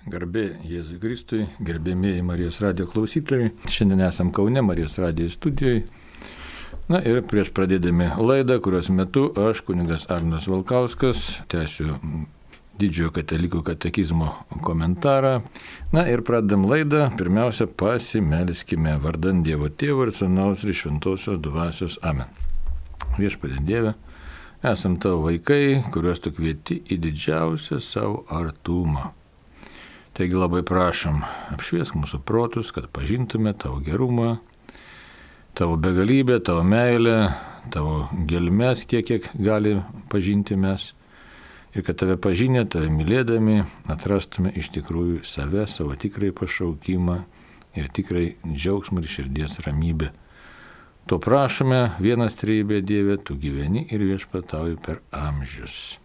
Garbė Jėzui Kristui, gerbėmieji Marijos radijo klausytojai. Šiandien esam Kaune, Marijos radijo studijoje. Na ir prieš pradėdami laidą, kurios metu aš, kunigas Arnas Valkauskas, tęsiu Didžiojo katalikų katekizmo komentarą. Na ir pradedam laidą. Pirmiausia, pasimelskime vardan Dievo Tėvo ir Sūnaus ir Šventosios Dvasios. Amen. Viešpatie Dieve, esam tavo vaikai, kuriuos tu kvieti į didžiausią savo artumą. Taigi labai prašom, apšviesk mūsų protus, kad pažintume tavo gerumą, tavo begalybę, tavo meilę, tavo gelmes, kiek gali pažinti mes. Ir kad tave pažinę, tave mylėdami, atrastume iš tikrųjų save, savo tikrai pašaukimą ir tikrai džiaugsmą ir širdies ramybę. To prašome, vienas trejybė Dieve, tu gyveni ir viešpatauji per amžius.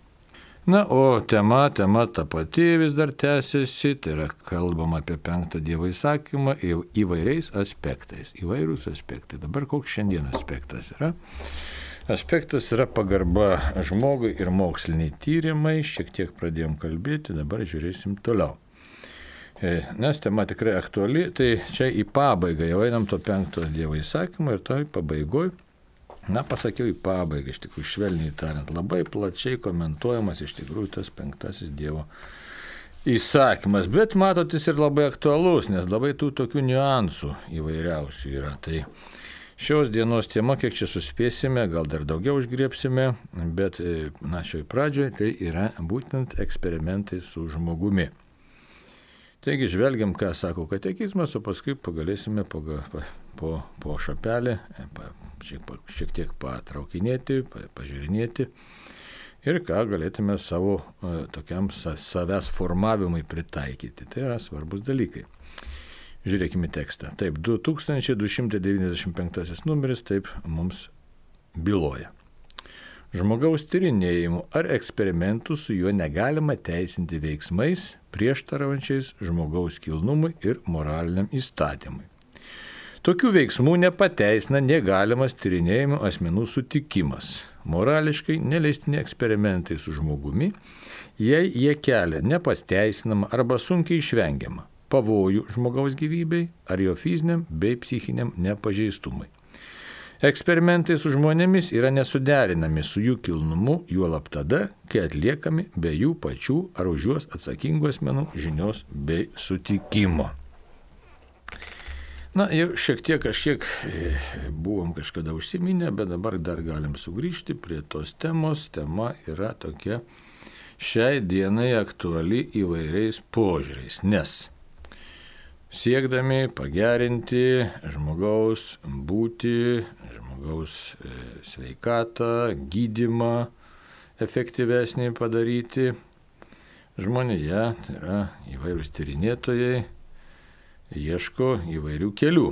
Na, o tema ta pati vis dar tęsiasi, tai yra kalbama apie 5 Dievo įsakymą įvairiais aspektais, įvairūs aspektai. Dabar koks šiandien aspektas yra? Aspektas yra pagarba žmogui ir moksliniai tyrimai, šiek tiek pradėjom kalbėti, dabar žiūrėsim toliau. Nes tema tikrai aktuali, tai čia į pabaigą jau einam to 5 Dievo įsakymą ir toj pabaigoj. Na, pasakiau į pabaigą, iš tikrųjų, švelniai tariant, labai plačiai komentuojamas iš tikrųjų tas 5 Dievo įsakymas, bet matot, jis ir labai aktualus, nes labai tų tokių niuansų įvairiausių yra. Tai šios dienos tema, kiek čia suspėsime, gal dar daugiau užgriepsime, bet, na, šioj pradžioj tai yra būtent eksperimentai su žmogumi. Taigi žvelgiam, ką sako katekizmas, o paskui pagalėsime po šapelį, šiek tiek patraukinėti, pažiūrinėti ir ką galėtume savo tokiam savęs formavimui pritaikyti. Tai yra svarbus dalykai. Žiūrėkime tekstą. Taip, 2295 numeris taip mums byloja. Žmogaus tyrinėjimų ar eksperimentų su juo negalima teisinti veiksmais prieštaraujančiais žmogaus kilnumui ir moraliniam įstatymui. Tokių veiksmų nepateisina negalimas tyrinėjimų asmenų sutikimas. Morališkai neleistini eksperimentai su žmogumi, jei jie kelia nepasteisinamą arba sunkiai išvengiamą pavojų žmogaus gyvybei ar jo fiziniam bei psichiniam nepažeistumui. Eksperimentai su žmonėmis yra nesuderinami su jų kilnumu, juolab tada, kai atliekami be jų pačių ar už juos atsakingų asmenų žinios bei sutikimo. Na, jau šiek tiek buvom kažkada užsiminę, bet dabar dar galim sugrįžti prie tos temos. Tema yra tokia šiai dienai aktuali įvairiais požiūriais, nes siekdami pagerinti žmogaus būtį, žmogaus sveikatą, gydymą efektyvesnį padaryti, žmonėje, tai yra įvairūs tyrinėtojai, ieško įvairių kelių.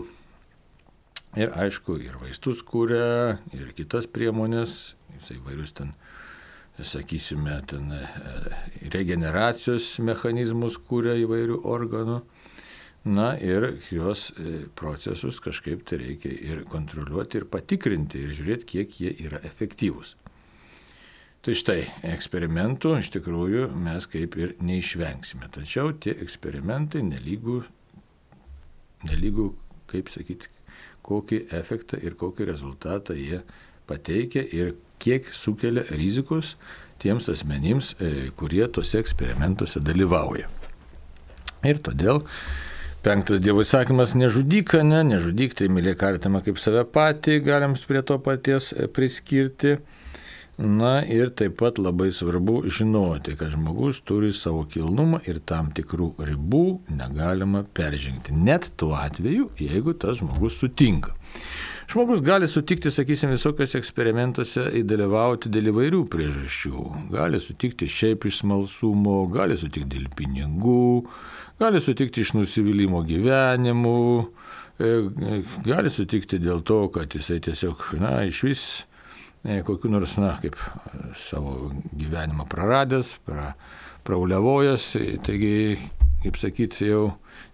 Ir aišku, ir vaistus kūrė, ir kitas priemonės, įvairius ten, sakysime, regeneracijos mechanizmus kūrė įvairių organų. Na ir jos procesus kažkaip tai reikia ir kontroliuoti, ir patikrinti, ir žiūrėti, kiek jie yra efektyvūs. Tai štai, eksperimentų iš tikrųjų mes kaip ir neišvengsime. Tačiau tie eksperimentai nelygų, kaip sakyti, kokį efektą ir kokį rezultatą jie pateikia ir kiek sukelia rizikos tiems asmenims, kurie tose eksperimentuose dalyvauja. Ir todėl 5 Dievo įsakymas nežudyk, nežudyk, tai mylėk artimą kaip save patį, galim prie to paties priskirti. Na ir taip pat labai svarbu žinoti, kad žmogus turi savo kilnumą ir tam tikrų ribų negalima peržengti. Net tuo atveju, jeigu tas žmogus sutinka. Žmogus gali sutikti, sakysim, visokios eksperimentuose dalyvauti dėl įvairių priežasčių. Gali sutikti šiaip iš smalsumo, gali sutikti dėl pinigų, gali sutikti iš nusivylimo gyvenimu, gali sutikti dėl to, kad jisai tiesiog, iš vis kokiu nors, kaip savo gyvenimą praradęs, prauliavojęs, taigi kaip sakyti, jau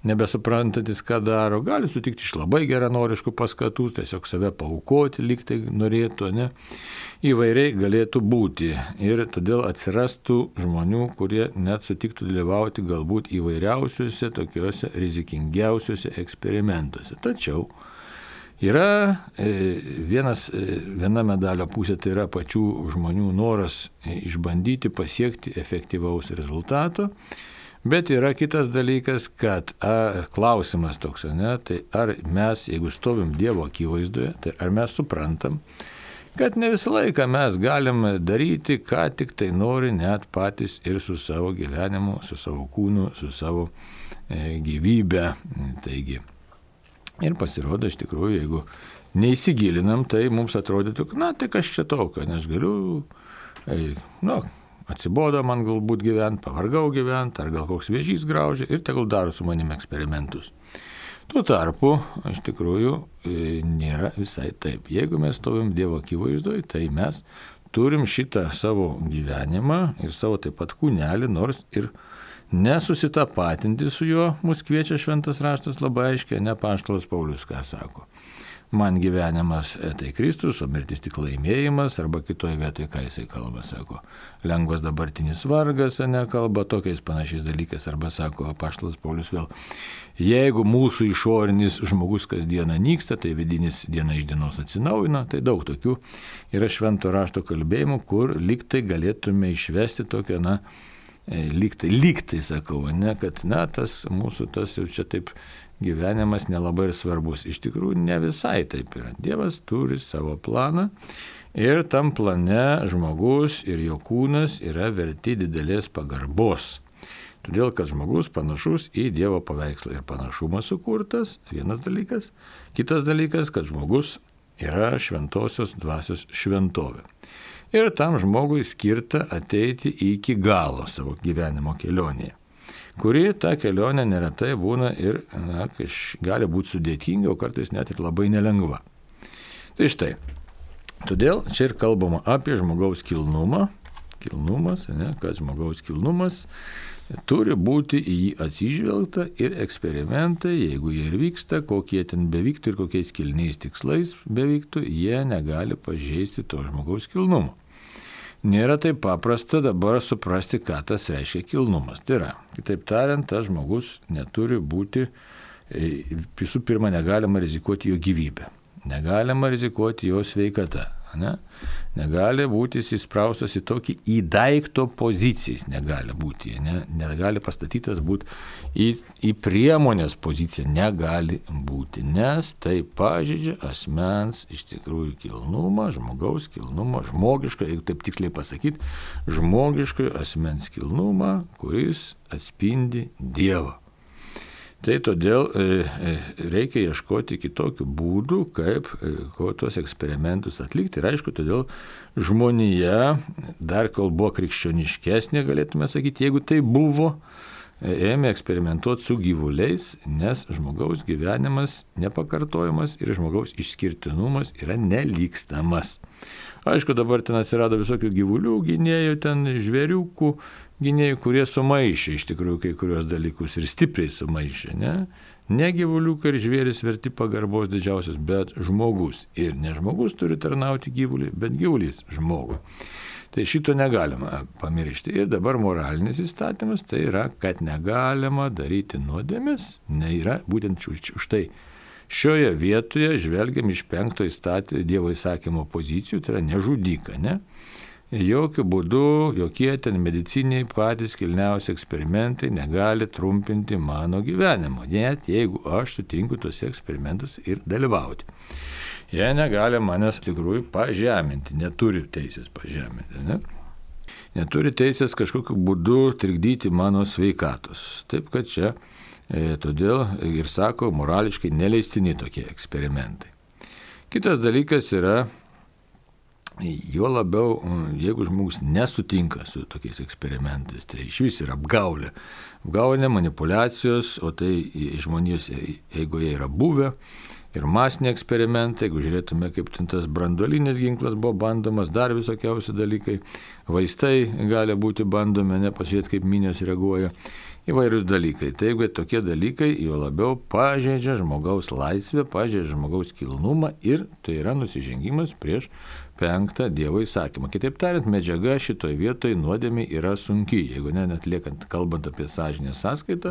nebesuprantantis, ką daro, gali sutikti iš labai geranoriškų paskatų, tiesiog save paaukoti, lyg tai norėtų, ne? Įvairiai galėtų būti ir todėl atsirastų žmonių, kurie net sutiktų dalyvauti galbūt įvairiausiuose, tokiuose rizikingiausiuose eksperimentuose. Tačiau yra viena medalio pusė, tai yra pačių žmonių noras išbandyti, pasiekti efektyvaus rezultato, bet yra kitas dalykas, kad klausimas toks, ne, tai ar mes, jeigu stovim Dievo akivaizdoje, tai ar mes suprantam, kad ne visą laiką mes galim daryti, ką tik tai nori, net patys ir su savo gyvenimu, su savo kūnu, su savo gyvybe. Taigi, ir pasirodo, iš tikrųjų, jeigu neįsigilinam, tai mums atrodytų, tai kas čia tokio, nes galiu, atsibodo man galbūt gyventi, pavargau gyventi, ar gal koks vėžys graužia ir tegul daro su manim eksperimentus. Tuo tarpu, iš tikrųjų, nėra visai taip. Jeigu mes stovim Dievo akivaizdoje, tai mes turim šitą savo gyvenimą ir savo taip pat kūnelį, nors ir nesusitapatinti su juo, mus kviečia šventas raštas labai aiškiai, ne apaštalas Paulius, ką sako. Man gyvenimas tai Kristus, o mirtis tik laimėjimas, arba kitoje vietoje, ką jisai kalba, sako, lengvas dabartinis vargas, nekalba tokiais panašiais dalykais, arba sako apaštalas Paulius vėl, jeigu mūsų išorinis žmogus kasdieną nyksta, tai vidinis diena iš dienos atsinaujina, tai daug tokių yra švento rašto kalbėjimų, kur lyg tai galėtume išvesti tokią, lyg tai sakau, ne, kad tas mūsų tas jau čia taip gyvenimas nelabai ir svarbus. Iš tikrųjų ne visai taip yra. Dievas turi savo planą ir tam plane žmogus ir jo kūnas yra verti didelės pagarbos. Todėl, kad žmogus panašus į Dievo paveikslą ir panašumas sukurtas, vienas dalykas. Kitas dalykas, kad žmogus yra šventosios dvasios šventovė. Ir tam žmogui skirta ateiti iki galo savo gyvenimo kelionėje, kuri ta kelionė neretai būna ir gali būti sudėtinga, o kartais net ir labai nelengva. Tai štai, todėl čia ir kalbama apie žmogaus kilnumą, kad žmogaus kilnumas turi būti į jį atsižvelgta ir eksperimentai, jeigu jie ir vyksta, kokie ten bevyktų ir kokiais kilniais tikslais bevyktų, jie negali pažeisti to žmogaus kilnumo. Nėra taip paprasta dabar suprasti, ką tas reiškia kilnumas. Tai yra, kitaip tariant, tas žmogus neturi būti, visų pirma, negalima rizikuoti jo gyvybę, negalima rizikuoti jo sveikatą, negali būti įspraustas į tokį daikto pozicijas, negali būti, negali pastatytas būti į priemonės poziciją, negali būti, nes tai pažeidžia asmens iš tikrųjų kilnumą, žmogaus kilnumą, žmogišką, jeigu taip tiksliai pasakyti, žmogišką asmens kilnumą, kuris atspindi Dievą. Tai todėl reikia ieškoti kitokių būdų, kaip tuos eksperimentus atlikti. Ir aišku, todėl žmonija, dar kol buvo krikščioniškesnė, galėtume sakyti, jeigu tai buvo, ėmė eksperimentuoti su gyvuliais, nes žmogaus gyvenimas nepakartojamas ir žmogaus išskirtinumas yra nelygstamas. Aišku, dabar ten atsirado visokių gyvulių gynėjų, ten žvėriukų gynėjų, kurie sumaišė iš tikrųjų kai kurios dalykus ir stipriai sumaišė, ne gyvuliukai ir žvėris verti pagarbos didžiausias, bet žmogus. Ir ne žmogus turi tarnauti gyvuliui, bet gyvulys žmogui. Tai šito negalima pamiršti. Ir dabar moralinis įstatymas tai yra, kad negalima daryti nuodėmės, yra būtent už tai. Šioje vietoje žvelgiam iš 5 Dievo įsakymo pozicijų, tai yra nežudyka, ne? Jokių būdų, jokie ten mediciniai patys kilniausi eksperimentai negali trumpinti mano gyvenimo, net jeigu aš sutinku tuose eksperimentus ir dalyvauti. Jie negali manęs tikrųjų pažeminti, neturi teisės pažeminti, ne? Neturi teisės kažkokiu būdu trikdyti mano sveikatos. Taip, kad čia todėl ir sako, morališkai neleistini tokie eksperimentai. Kitas dalykas yra, jo labiau, jeigu žmogus nesutinka su tokiais eksperimentais, tai iš vis yra apgaulė. Apgaulė, manipulacijos, o tai žmonijos eigoje yra buvę. Ir masiniai eksperimentai, jeigu žiūrėtume, kaip tas branduolinis ginklas buvo bandomas, dar visokiausi dalykai, vaistai gali būti bandomi, pasižiūrėti, kaip minios reaguoja įvairius dalykai. Tai jeigu tokie dalykai jo labiau pažeidžia žmogaus laisvę, pažeidžia žmogaus kilnumą ir tai yra nusižengimas prieš 5 Dievo įsakymą. Kitaip tariant, medžiaga šitoje vietoje nuodėmė yra sunki. Jeigu net kalbant apie sąžinės sąskaitą,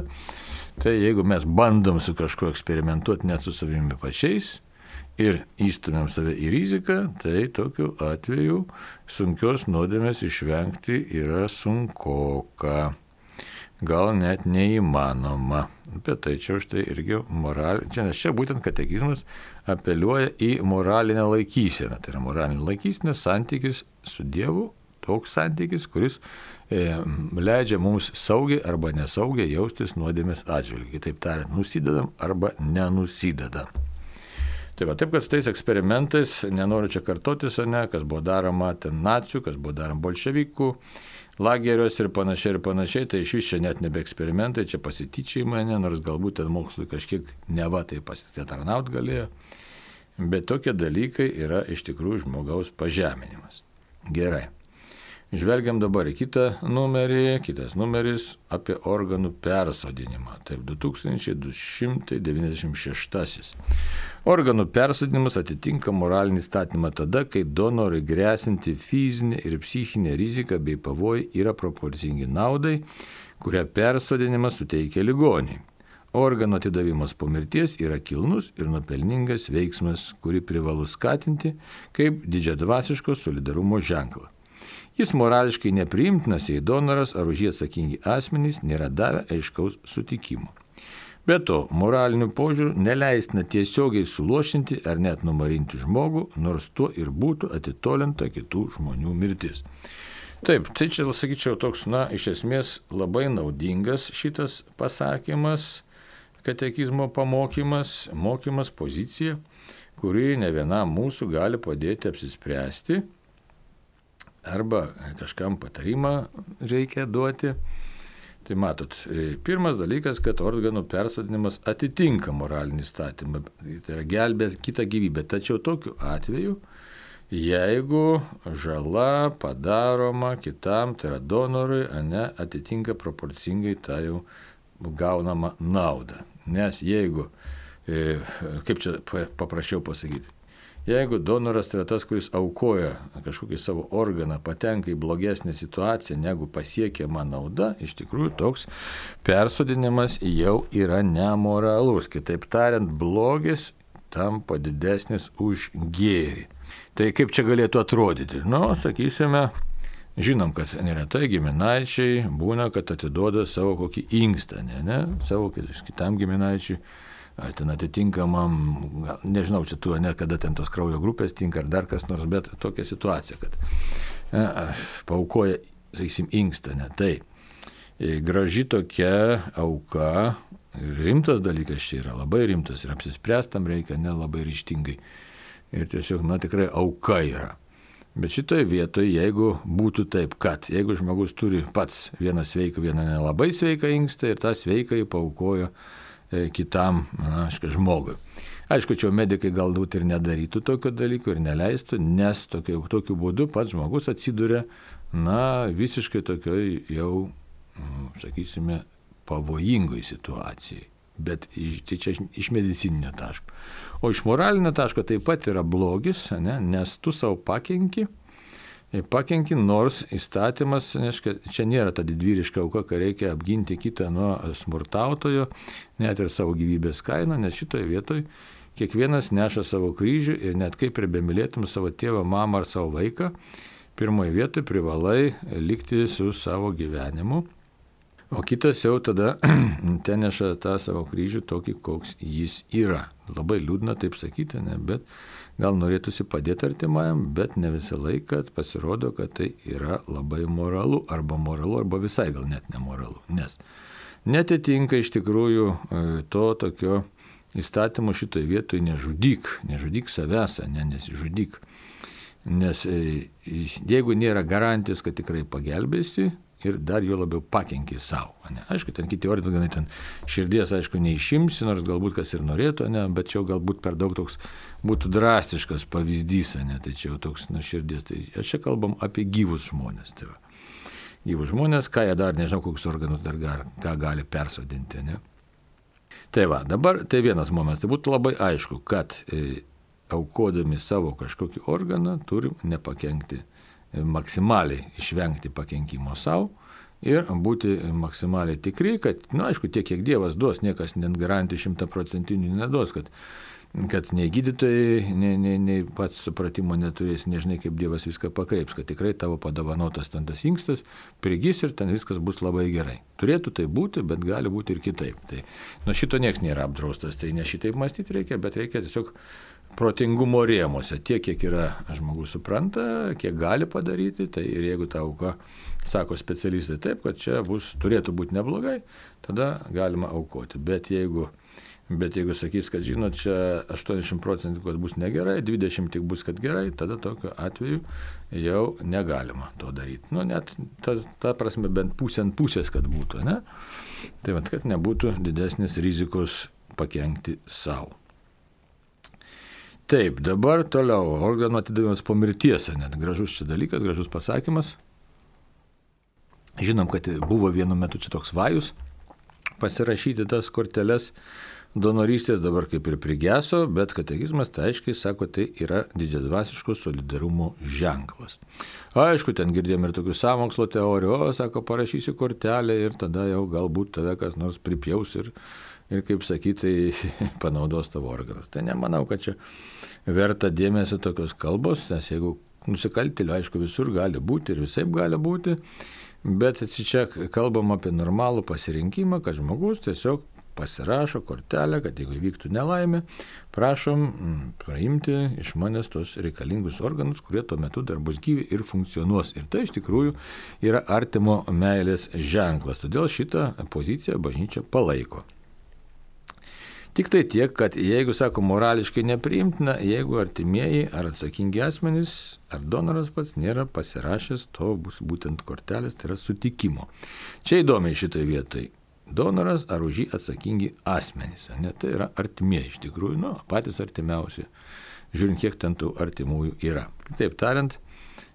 tai jeigu mes bandom su kažkuo eksperimentuoti net su savimi pačiais ir įstumėm save į riziką, tai tokiu atveju sunkios nuodėmės išvengti yra sunkoka. Gal net neįmanoma. Apie tai čia už tai irgi nes čia būtent katekizmas apeliuoja į moralinę laikyseną. Tai yra moralinė laikysena, santykis su Dievu, toks santykis, kuris leidžia mums saugiai arba nesaugiai jaustis nuodėmės atžvilgiu. Kitaip tariant, nusidedam arba nenusidedam. Taip, kad su tais eksperimentais, nenoriu čia kartotis, kas buvo daroma ten nacių, kas buvo daroma bolševikų, lageriuose ir panašiai, tai iš vis čia net nebe eksperimentai, čia pasityčiai nors galbūt ten mokslui kažkiek neva tai pasitarnaut galėjo, bet tokie dalykai yra iš tikrųjų žmogaus pažeminimas. Gerai. Žvelgiam dabar į kitą numerį, kitas numeris apie organų persodinimą. Taip, 2296. Organų persodinimas atitinka moralinį statymą tada, kai donorui grėsinti fizinė ir psichinė rizika bei pavojai yra proporcingi naudai, kurią persodinimas suteikia ligoniai. Organų atidavimas po mirties yra kilnus ir nuopelningas veiksmas, kurį privalu skatinti kaip didžiadvasiško solidarumo ženklą. Jis morališkai nepriimtinas, jei donoras ar už jį atsakingi asmenys nėra davę aiškaus sutikimo. Be to, moraliniu požiūriu neleistina tiesiogiai suluošinti ar net numarinti žmogų, nors tuo ir būtų atitolinta kitų žmonių mirtis. Taip, tai čia, sakyčiau, toks, iš esmės labai naudingas šitas pasakymas, katekizmo pamokymas, mokymas, pozicija, kuri ne vienam mūsų gali padėti apsispręsti, arba kažkam patarimą reikia duoti. Tai matot, pirmas dalykas, kad organų persodinimas atitinka moralinį statymą, tai yra gelbės kitą gyvybę. Tačiau tokiu atveju, jeigu žala padaroma kitam, tai yra donorui, atitinka proporcingai tą jau gaunamą naudą. Nes jeigu, kaip čia paprasčiau pasakyti, jeigu donoras tai yra tas, kuris aukoja kažkokį savo organą, patenka į blogesnę situaciją, negu pasiekiama nauda, iš tikrųjų toks persodinimas jau yra nemoralus. Kitaip tariant, blogis tampa didesnis už gėrį. Tai kaip čia galėtų atrodyti? Sakysime, žinom, kad neretai giminaičiai būna, kad atiduoda savo kokį inkstą, savo kitam giminaičiui. Ar ten atitinkamam, nežinau, čia tu, kada ten tos kraujo grupės tinka, ar dar kas nors, bet tokia situacija, kad paaukoja, sakysim, inkstą, Tai graži tokia auka, rimtas dalykas čia yra, labai rimtas ir apsispręstam reikia, labai ryžtingai. Ir tiesiog, tikrai auka yra. Bet šitoje vietoje, jeigu būtų taip, kad jeigu žmogus turi pats vieną sveiką, vieną nelabai sveiką inkstą ir tą sveiką paaukojo kitam žmogui. Aišku, čia medikai galbūt ir nedarytų tokio dalyko ir neleistų, nes tokiu būdu pats žmogus atsiduria, visiškai tokioj jau, sakysime, pavojingoj situacijai. Bet tai čia iš medicininio taško. O iš moralinio taško taip pat yra blogis, nes tu savo pakenki, nors įstatymas, čia nėra ta didvyriška auka, kai reikia apginti kitą nuo smurtautojo, net ir savo gyvybės kainą, nes šitoje vietoje kiekvienas neša savo kryžių ir net kaip ir bemylėtum savo tėvą, mamą ar savo vaiką, pirmoje vietoje privalai likti su savo gyvenimu, o kitas jau tada ten neša tą savo kryžių tokį, koks jis yra. Labai liūdna taip sakyti, bet gal norėtųsi padėti artimajam, bet ne visą laiką pasirodo, kad tai yra labai moralu, arba visai gal net nemoralu. Nes netitinka iš tikrųjų to tokio įstatymo šitoje vietoje nežudyk savęs, nesižudyk. Nes jeigu nėra garantijos, kad tikrai pagelbėsi, ir dar jo labiau pakenki savo. Aišku, ten kiti organai, ten širdies, aišku, neišimsi, nors galbūt kas ir norėtų, bet čia galbūt per daug toks būtų drastiškas pavyzdys, tai čia jau toks širdies. Tai čia kalbam apie gyvus žmonės. Tai gyvus žmonės, ką jie dar, nežinau, kokius organus dar ką gali persodinti. Ne? Tai va, dabar tai vienas momentas, tai būtų labai aišku, kad aukodami savo kažkokį organą turim nepakenkti, maksimaliai išvengti pakenkimo savo ir būti maksimaliai tikri, kad, aišku, tiek, kiek Dievas duos, niekas net garantijų 100% neduos, kad nei gydytojai, nei pats supratimo neturės, nežinai, kaip Dievas viską pakreips, kad tikrai tavo padovanotas ten tas inkstas prigis ir ten viskas bus labai gerai. Turėtų tai būti, bet gali būti ir kitaip. Tai nuo šito nieks nėra apdraustas, tai ne šitaip mąstyti reikia, bet reikia tiesiog protingumo rėmuose, tiek, kiek yra žmogus supranta, kiek gali padaryti, tai ir jeigu ta auka sako specialistai taip, kad čia turėtų būti neblogai, tada galima aukoti. Bet jeigu sakys, kad žinot, čia 80% kad bus negerai, 20% tik bus, kad gerai, tada tokiu atveju jau negalima to daryti. Net ta prasme bent pusės, kad būtų, ne? Tai vat, kad nebūtų didesnės rizikos pakenkti savo. Taip, dabar toliau, organų atidavimas po mirties, net gražus šis dalykas, gražus pasakymas. Žinom, kad buvo vienu metu čia toks vajus pasirašyti tas korteles donorystės, dabar kaip ir prigeso, bet katekizmas tai aiškiai sako, tai yra didžiadvasiško solidarumo ženklas. Aišku, ten girdėjom ir tokių sąmokslo teorijų, sako, parašysi kortelę ir tada jau galbūt tave kas nors pripjaus ir kaip sakyti, panaudos tavo organus. Tai nemanau, kad čia verta dėmesio tokios kalbos, nes jeigu nusikaltėlių, aišku, visur gali būti ir visaip gali būti, bet čia kalbam apie normalų pasirinkimą, kad žmogus tiesiog pasirašo kortelę, kad jeigu įvyktų nelaimė, prašom praimti iš manęs tos reikalingus organus, kurie tuo metu dar bus gyvi ir funkcionuos. Ir tai iš tikrųjų yra artimo meilės ženklas. Todėl šitą poziciją bažnyčia palaiko. Tik tai tiek, kad jeigu, sako, morališkai nepriimtina, jeigu artimieji ar atsakingi asmenys, ar donoras pats nėra pasirašęs, to bus būtent kortelės, tai yra sutikimo. Čia įdomiai šitoj vietoj. Donoras ar už jį atsakingi asmenys, ne, tai yra artimieji iš tikrųjų, patys artimiausi, žiūrint, kiek ten tų artimųjų yra. Kitaip tariant,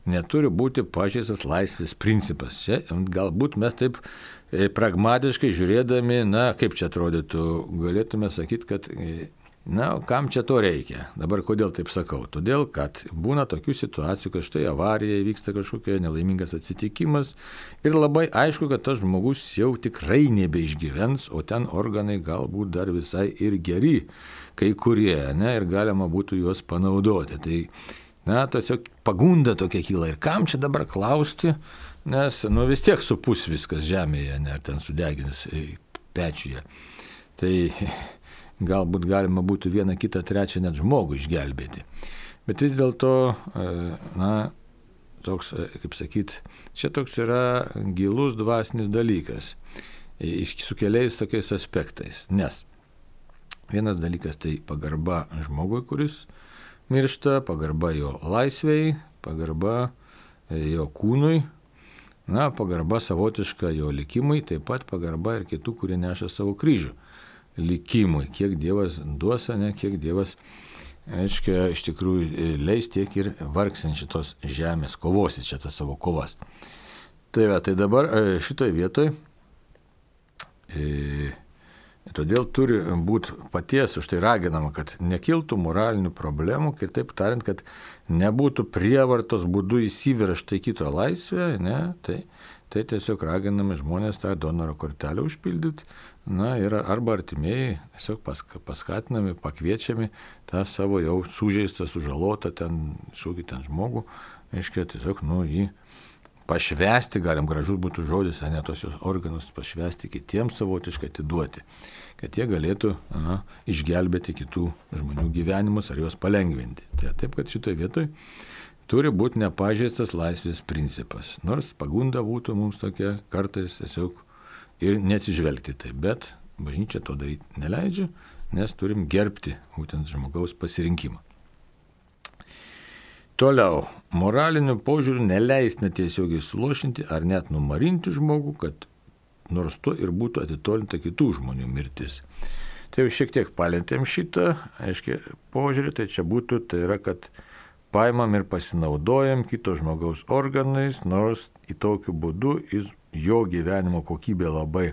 neturi būti pažeistas laisvės principas. Čia galbūt mes taip pragmatiškai žiūrėdami, kaip čia atrodytų, galėtume sakyti, kad, kam čia to reikia. Dabar kodėl taip sakau? Todėl, kad būna tokių situacijų, kad štai avarija įvyksta kažkokia nelaimingas atsitikimas ir labai aišku, kad tas žmogus jau tikrai nebeišgyvens, o ten organai galbūt dar visai ir geri, kai kurie, ir galima būtų juos panaudoti. Tai tiesiog pagunda tokia kyla. Ir kam čia dabar klausti, nes vis tiek supus viskas žemėje, ar ten sudegins pečiuje. Tai galbūt galima būtų vieną, kitą, trečią net žmogų išgelbėti. Bet vis dėlto, toks, kaip sakyt, čia toks yra gilus dvasinis dalykas, su keliais tokiais aspektais. Nes vienas dalykas tai pagarba žmogui, kuris miršta, pagarba jo laisvei, pagarba jo kūnui, pagarba savotiška jo likimui, taip pat pagarba ir kitų, kurie neša savo kryžių likimui. Kiek Dievas duos, kiek Dievas, aiškiai, iš tikrųjų leis, tiek ir vargsin šitos žemės, kovosi čia tas savo kovas. Tai dabar šitoj vietoj todėl turi būti paties už tai raginama, kad nekiltų moralinių problemų, kitaip tariant, kad nebūtų prievartos būdu įsiveržta į kito laisvę, tai tiesiog raginami žmonės tą donoro kortelę užpildyti, ir arba artimieji tiesiog paskatinami, pakviečiami tą savo jau sužeistą, sužalotą šokį ten žmogų, aiškiai, tiesiog jį pašvęsti, galim gražus būtų žodis, tos jos organus pašvęsti kitiems savotiškai atiduoti, kad jie galėtų išgelbėti kitų žmonių gyvenimus ar juos palengvinti. Tai taip, kad šitoje vietoje turi būti nepažeistas laisvės principas, nors pagunda būtų mums tokia kartais tiesiog ir neatsižvelgti tai, bet bažnyčia to daryti neleidžia, nes turim gerbti būtent žmogaus pasirinkimą. Toliau, moraliniu požiūriu neleistina tiesiogiai sulošinti ar net numarinti žmogų, kad nors to ir būtų atitolinta kitų žmonių mirtis. Tai jau šiek tiek palėtėm šitą, aiškiai, požiūrį, tai čia būtų, tai yra, kad paimam ir pasinaudojam kito žmogaus organais, nors į tokiu būdu jo gyvenimo kokybė labai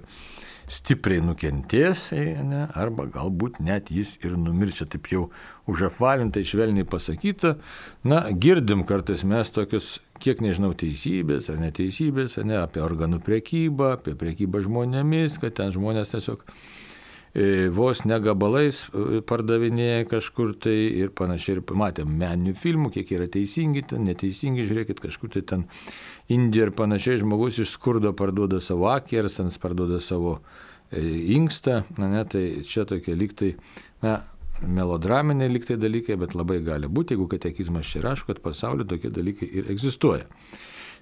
stipriai nukentės, ne, arba galbūt net jis ir numirčia, taip jau užapvalintai švelniai pasakyta. Na, girdim kartais mes tokius, kiek nežinau, teisybės ar neteisybės, ne, apie organų prekybą, apie prekybą žmonėmis, kad ten žmonės tiesiog vos negabalais pardavinėja kažkur tai ir panašiai. Ir matėm meninių filmų, kiek yra teisingi, ten neteisingi, žiūrėkit, kažkur tai ten Indija ir panašiai, žmogus iš skurdo parduoda savo akį, ar ten parduoda savo inkstą, ne, tai čia tokie lygtai, na, melodraminiai lygtai dalykai, bet labai gali būti, jeigu katekizmas čia rašo, kad pasaulyje tokie dalykai ir egzistuoja.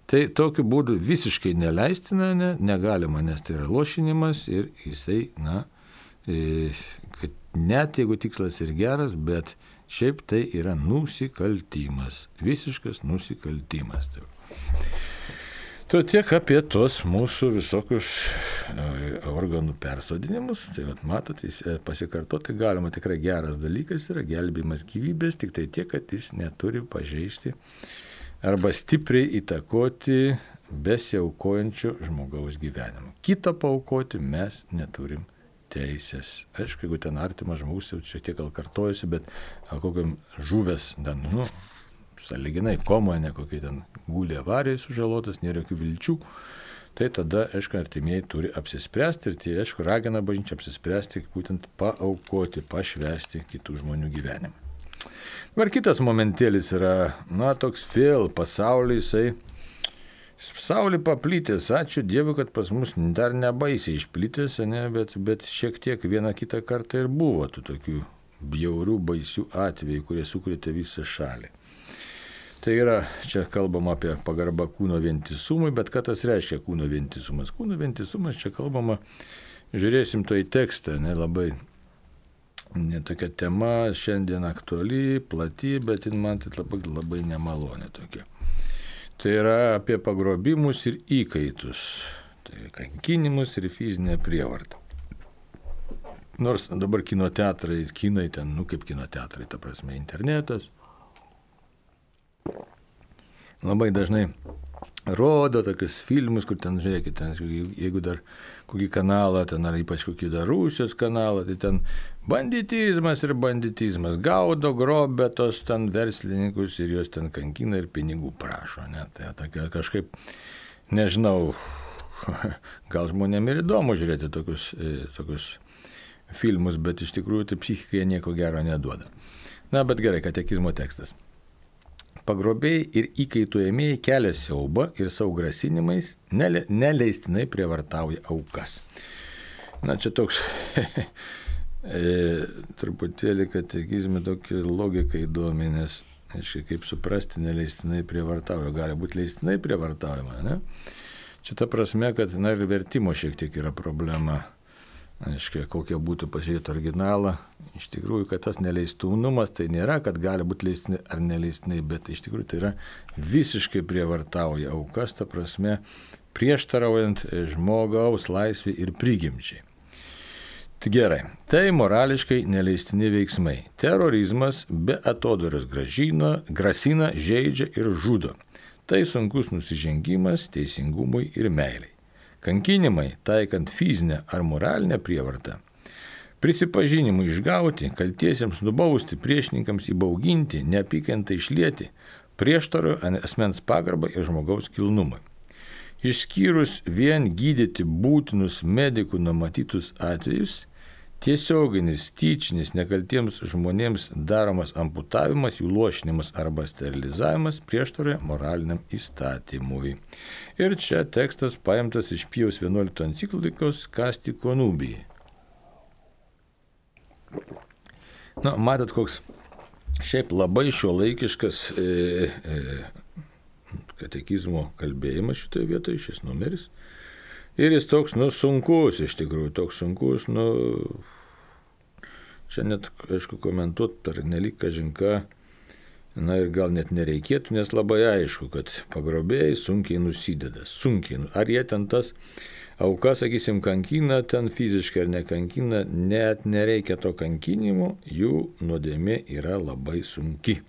Tai tokiu būdu visiškai neleistina, negalima, nes tai yra lošinimas ir jisai, na, kad net jeigu tikslas ir geras, bet šiaip tai yra nusikaltimas, visiškas nusikaltimas. To tiek apie tos mūsų visokius organų persodinimus. Tai matot, pasikartoti galima, tikrai geras dalykas yra gelbėjimas gyvybės, tik tai tiek, kad jis neturi pažeisti arba stipriai įtakoti besiaukojančio žmogaus gyvenimą. Kitą paaukoti mes neturim teisės. Aišku, jeigu ten artimas žmogus jau šiek tiek gal kartojasi, bet kokiam žuvęs, sąlyginai komoje, ne kokie ten gulė avarijai sužalotas, nėra jokių vilčių, tai tada, aišku, artimieji turi apsispręsti ir tai, aišku, ragina bažnyčią apsispręsti, būtent paaukoti, pašvęsti kitų žmonių gyvenimą. Dabar kitas momentėlis yra, na, toks vėl pasaulyje, pasaulį paplitęs, ačiū Dievui, kad pas mus dar nebaisiai išplitęs, ne, bet šiek tiek vieną kitą kartą ir buvo tų tokių bjaurių, baisių atvejų, kurie sukrėtė visą šalį. Tai yra, čia kalbama apie pagarbą kūno vientisumui, bet ką tas reiškia kūno vientisumas? Kūno vientisumas, čia kalbama, žiūrėsim to į tekstą, labai tokia tema, šiandien aktuali, plati, bet man tai labai nemalonė tokia. Tai yra apie pagrobimus ir įkaitus, tai kankinimus ir fizinę prievartą. Nors dabar kinoteatrai, kinai ten, kaip kinoteatrai, ta prasme, internetas, labai dažnai rodo tokius filmus, kur ten, žiūrėkit, ten, jeigu dar kokį kanalą, ten ar ypač kokį dar Rusijos kanalą, tai ten banditizmas ir banditizmas, gaudo, grobia tos ten verslininkus ir juos ten kankina ir pinigų prašo. Ne? Tai tokia kažkaip, nežinau, gal žmonėm ir įdomu žiūrėti tokius filmus, bet iš tikrųjų tai psichikai nieko gero neduoda. Na, bet gerai, katekizmo tekstas. Pagrobėjai ir įkaitų ėmėjai kelia siaubą ir savo grasinimais neleistinai prievartauja aukas. Na, čia toks truputėlį katekizme tokia logika įdomi, nes, kaip suprasti, neleistinai prievartauja. Gali būti leistinai prievartaujama, ne? Čia ta prasme, kad, na, ir vertimo šiek tiek yra problema. Aiškiai, kokia būtų pasižiūrėti originalą. Iš tikrųjų, kad tas neleistinumas tai nėra, kad gali būti leistinai ar neleistinai, bet iš tikrųjų tai yra visiškai prievartauja aukas, ta prasme, prieštaraujant žmogaus laisvį ir prigimčiai. Tai gerai, tai morališkai neleistini veiksmai. Terorizmas be atodairos grasina, žeidžia ir žudo. Tai sunkus nusižengimas teisingumui ir meiliai. Kankinimai, taikant fizinę ar moralinę prievartą, prisipažinimui išgauti, kaltiesiems nubausti, priešininkams įbauginti, neapykantą išlieti, prieštarojo asmens pagarbą ir žmogaus kilnumui. Išskyrus vien gydyti būtinus medikų numatytus atvejus, tiesioginis, tyčinis, nekaltiems žmonėms daromas amputavimas, jų lošinimas arba sterilizavimas prieštaroja moraliniam įstatymui. Ir čia tekstas paimtas iš Pijaus 11 enciklikos Casti Connubii. Na, matot, koks šiaip labai šiuolaikiškas katekizmo kalbėjimas šitoje vietoje, šis numeris. Ir jis toks, sunkus iš tikrųjų, toks sunkus, čia net, aišku, komentuoti per nelik kažinką, na ir gal net nereikėtų, nes labai aišku, kad pagrobėjai sunkiai nusideda, ar jie ten tas aukas, sakysim, kankina, ten fiziškai ar nekankina, net nereikia to kankinimo, jų nuodėmė yra labai sunki.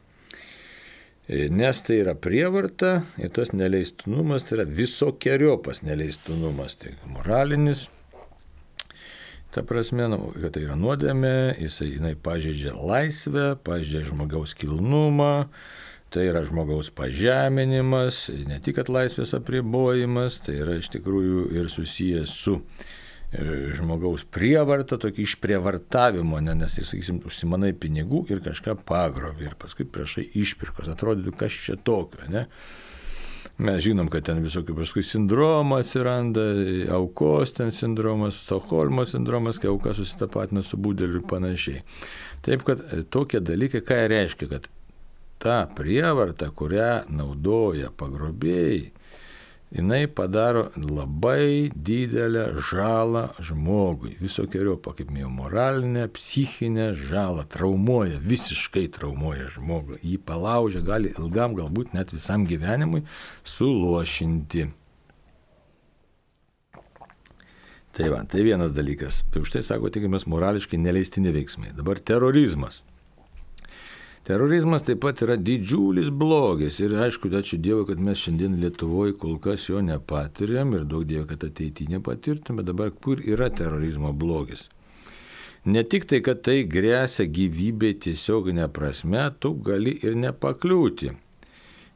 Nes tai yra prievarta ir tas neleistinumas tai yra visokiojopas neleistinumas, tai moralinis. Ta prasme, kad tai yra nuodėmė, jinai pažeidžia laisvę, pažeidžia žmogaus kilnumą, tai yra žmogaus pažeminimas, ne tik kad laisvės apribojimas, tai yra iš tikrųjų ir susijęs su žmogaus prievarta, tokį išprievartavimo, nes, sakysim, užsimanai pinigų ir kažką pagrobi ir paskui prašai išpirkos, atrodytų, kas čia tokio, ne? Mes žinom, kad ten visokių paskui sindromų atsiranda, aukos ten sindromas, Stokholmo sindromas, kai auka susitapatina su budeliu ir panašiai. Taip, kad tokie dalykai, ką reiškia, kad ta prievarta, kurią naudoja pagrobėjai, jinai padaro labai didelę žalą žmogui, visokiojopą, kaip minėjau, moralinę, psichinę žalą, traumuoja, visiškai traumuoja žmogų, jį palaužia, gali ilgam, galbūt net visam gyvenimui suluošinti. Tai vienas dalykas. Tai už tai sako, tikimės morališkai neleistini veiksmai. Dabar terorizmas. Terorizmas taip pat yra didžiulis blogis ir aišku, ačiū Dievui, kad mes šiandien Lietuvoje kol kas jo nepatiriam ir daug Dievo, kad ateityje nepatirtume, dabar kur yra terorizmo blogis. Ne tik tai, kad tai grėsia gyvybei tiesioginė prasme, tu gali ir nepakliūti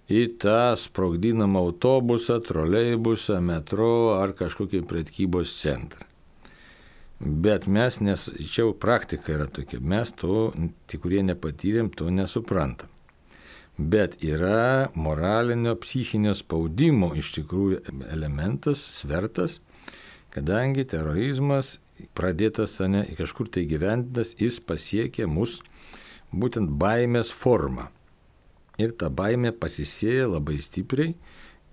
į tą sprogdinamą autobusą, troleibusą, metro ar kažkokį prekybos centrą. Bet mes, nes čia praktika yra tokia, mes to, kurie nepatyrėm, to nesuprantam. Bet yra moralinio, psichinio spaudimo iš tikrųjų elementas, svertas, kadangi terorizmas pradėtas kažkur tai gyventas, jis pasiekė mus būtent baimės formą. Ir ta baimė pasisėja labai stipriai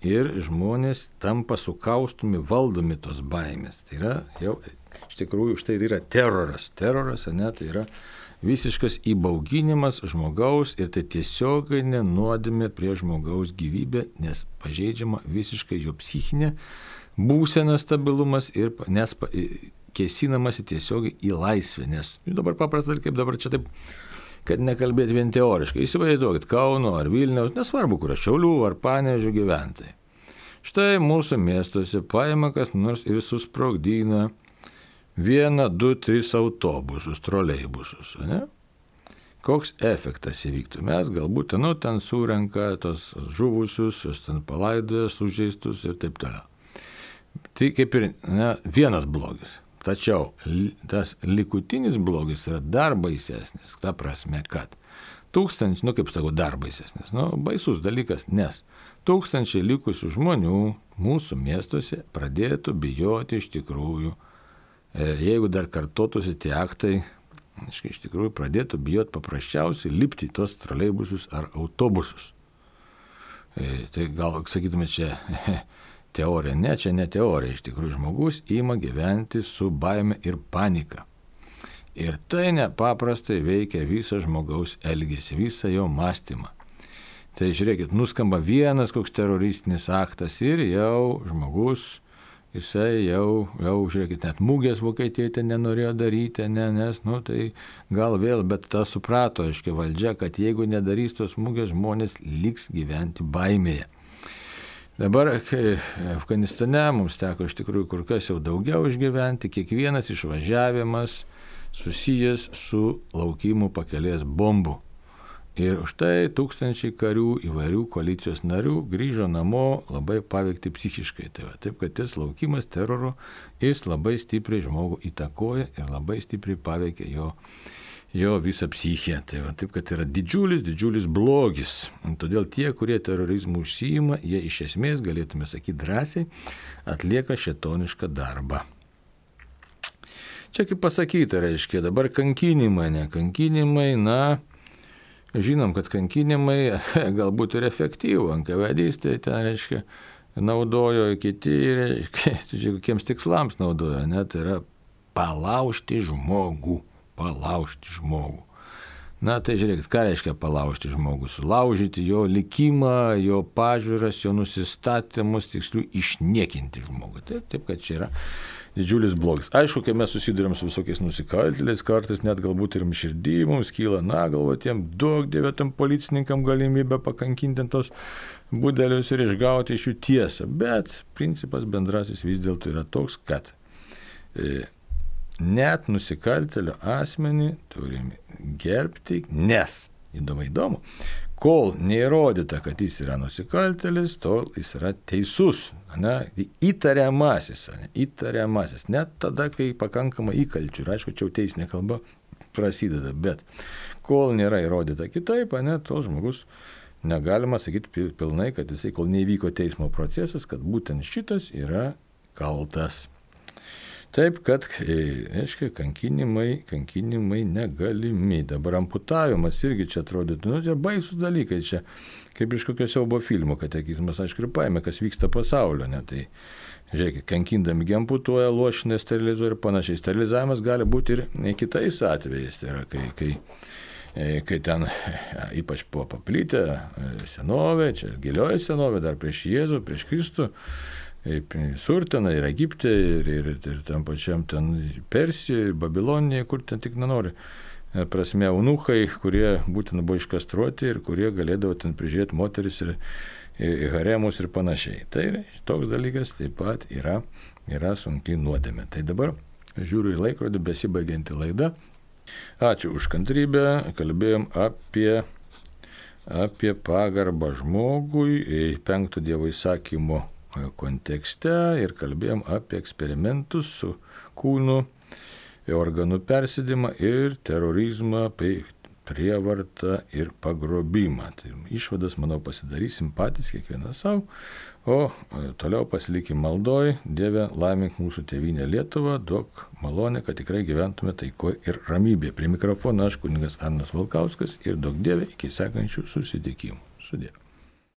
ir žmonės tampa sukaustumi, valdomi tos baimės. Tai yra jau iš tikrųjų štai yra teroras. Teroras, tai yra visiškas įbauginimas žmogaus ir tai tiesioginė nuodėmė prie žmogaus gyvybė, nes pažeidžiama visiškai jo psichinė būsena, stabilumas ir nes kėsinamasi tiesiogiai į laisvę. Nes dabar paprastai, kaip dabar čia taip, kad nekalbėti vien teoriškai. Įsivaizduokit, Kauno ar Vilniaus, nesvarbu kur, Šiaulių ar Panevėžio gyventojai. Štai mūsų miestuose paima kas nors ir susprogdina 1, 2, 3 autobusus, troleibusus, ne? Koks efektas įvyktų? Mes galbūt ten surenka tos žuvusius, jos ten palaidoja, sužeistus ir taip toliau. Tai kaip ir vienas blogis. Tačiau tas likutinis blogis yra dar baisesnis, ta prasme, kad tūkstančiai, kaip sakau, dar baisesnis, baisus dalykas, nes tūkstančiai likusių žmonių mūsų miestuose pradėtų bijoti iš tikrųjų. Jeigu dar kartotųsi tie aktai, iš tikrųjų pradėtų bijoti paprasčiausiai lipti į tos troleibusus ar autobusus. Tai gal sakytume čia teorija, ne, čia ne teorija, iš tikrųjų žmogus ima gyventi su baime ir panika. Ir tai nepaprastai veikia visą žmogaus elgesį, visą jo mąstymą. Tai žiūrėkit, nuskamba vienas koks teroristinis aktas ir jau žmogus, jisai jau, žiūrėkit, net mūgės Vokietijoje ten nenorėjo daryti, nes, tai gal vėl, bet tą suprato, aiškiai, valdžia, kad jeigu nedarys tos mūgės, žmonės liks gyventi baimėje. Dabar Afganistane mums teko iš tikrųjų kur kas jau daugiau išgyventi, kiekvienas išvažiavimas susijęs su laukimu pakelės bombų. Ir štai tūkstančiai karių įvairių koalicijos narių grįžo namo labai paveikti psichiškai. Taip, kad tas laukimas teroro, jis labai stipriai žmogų įtakoja ir labai stipriai paveikia jo visą psichiją. Taip, kad yra didžiulis blogis. Todėl tie, kurie terorizmų užsiima, jie iš esmės, galėtume sakyti drąsiai, atlieka šėtonišką darbą. Čia kaip pasakyta, reiškia, dabar kankinimai, žinom, kad kankinimai galbūt ir efektyvų, NKVD-istai ten, reiškia, naudojo kiti, reiškia, kokiems tikslams naudojo, tai yra palaužti žmogų. Tai žiūrėkit, ką reiškia palaužti žmogų, sulaužyti jo likimą, jo pažiūras, jo nusistatymus, tiksliau išniekinti žmogų. Taip, kad čia yra didžiulis blogis. Aišku, kai mes susidurėm su visokiais nusikaltėliais, kartais net galbūt ir širdį mums kyla, galvo tiem duok Dieve tam policininkam galimybę pakankinti tos budelius ir išgauti iš jų tiesą. Bet principas bendrasis vis dėlto yra toks, kad net nusikaltėlio asmenį turim gerbti, nes, įdomu, kol neįrodyta, kad jis yra nusikaltėlis, tol jis yra teisus, įtariamasis, net tada, kai pakankamai įkalčių, ir aišku, čia jau teisinė kalba prasideda, bet kol nėra įrodyta kitaip, tol žmogus negalima sakyti pilnai, kad jisai, kol neįvyko teismo procesas, kad būtent šitas yra kaltas. Taip, kad, aiškiai, kankinimai negalimi. Dabar amputavimas irgi čia atrodytų, čia baisus dalykai, čia kaip iš kokio siaubo filmo katekizmas, aišku, ir paėmė, kas vyksta pasaulio. Tai, žiūrėkit, kankindami amputuoja, lošina, sterilizuoja ir panašiai. Sterilizavimas gali būti ir kitais atvejais, tai yra, kai ten ypač buvo paplitę senovė, čia gilioji senovė, dar prieš Jėzų, prieš Kristų, Surteną ir Egipte, ir tam pačiam ten Persijoje, Babilonijoje, kur ten tik nenori. Prasme, eunuchai, kurie būtent buvo iškastruoti ir kurie galėdavo ten prižiūrėti moteris ir haremus ir panašiai. Tai toks dalykas taip pat yra sunkiai nuodėmė. Tai dabar žiūriu į laikrodį, besibaigianti laida. Ačiū už kantrybę, kalbėjom apie pagarbą žmogui, 5 Dievo įsakymo kontekste ir kalbėjom apie eksperimentus su kūnu, organų persidimą ir terorizmą, prievartą ir pagrobimą. Tai išvadas, manau, pasidarysim patys kiekvienas savo, o toliau pasilikim maldoj. Dieve, laimink mūsų tėvynę Lietuvą, duok malonę, kad tikrai gyventume taikoje ir ramybėje. Prie mikrofono aš kunigas Arnas Valkauskas ir duok Dieve iki sekančių susitikimų. Sudie.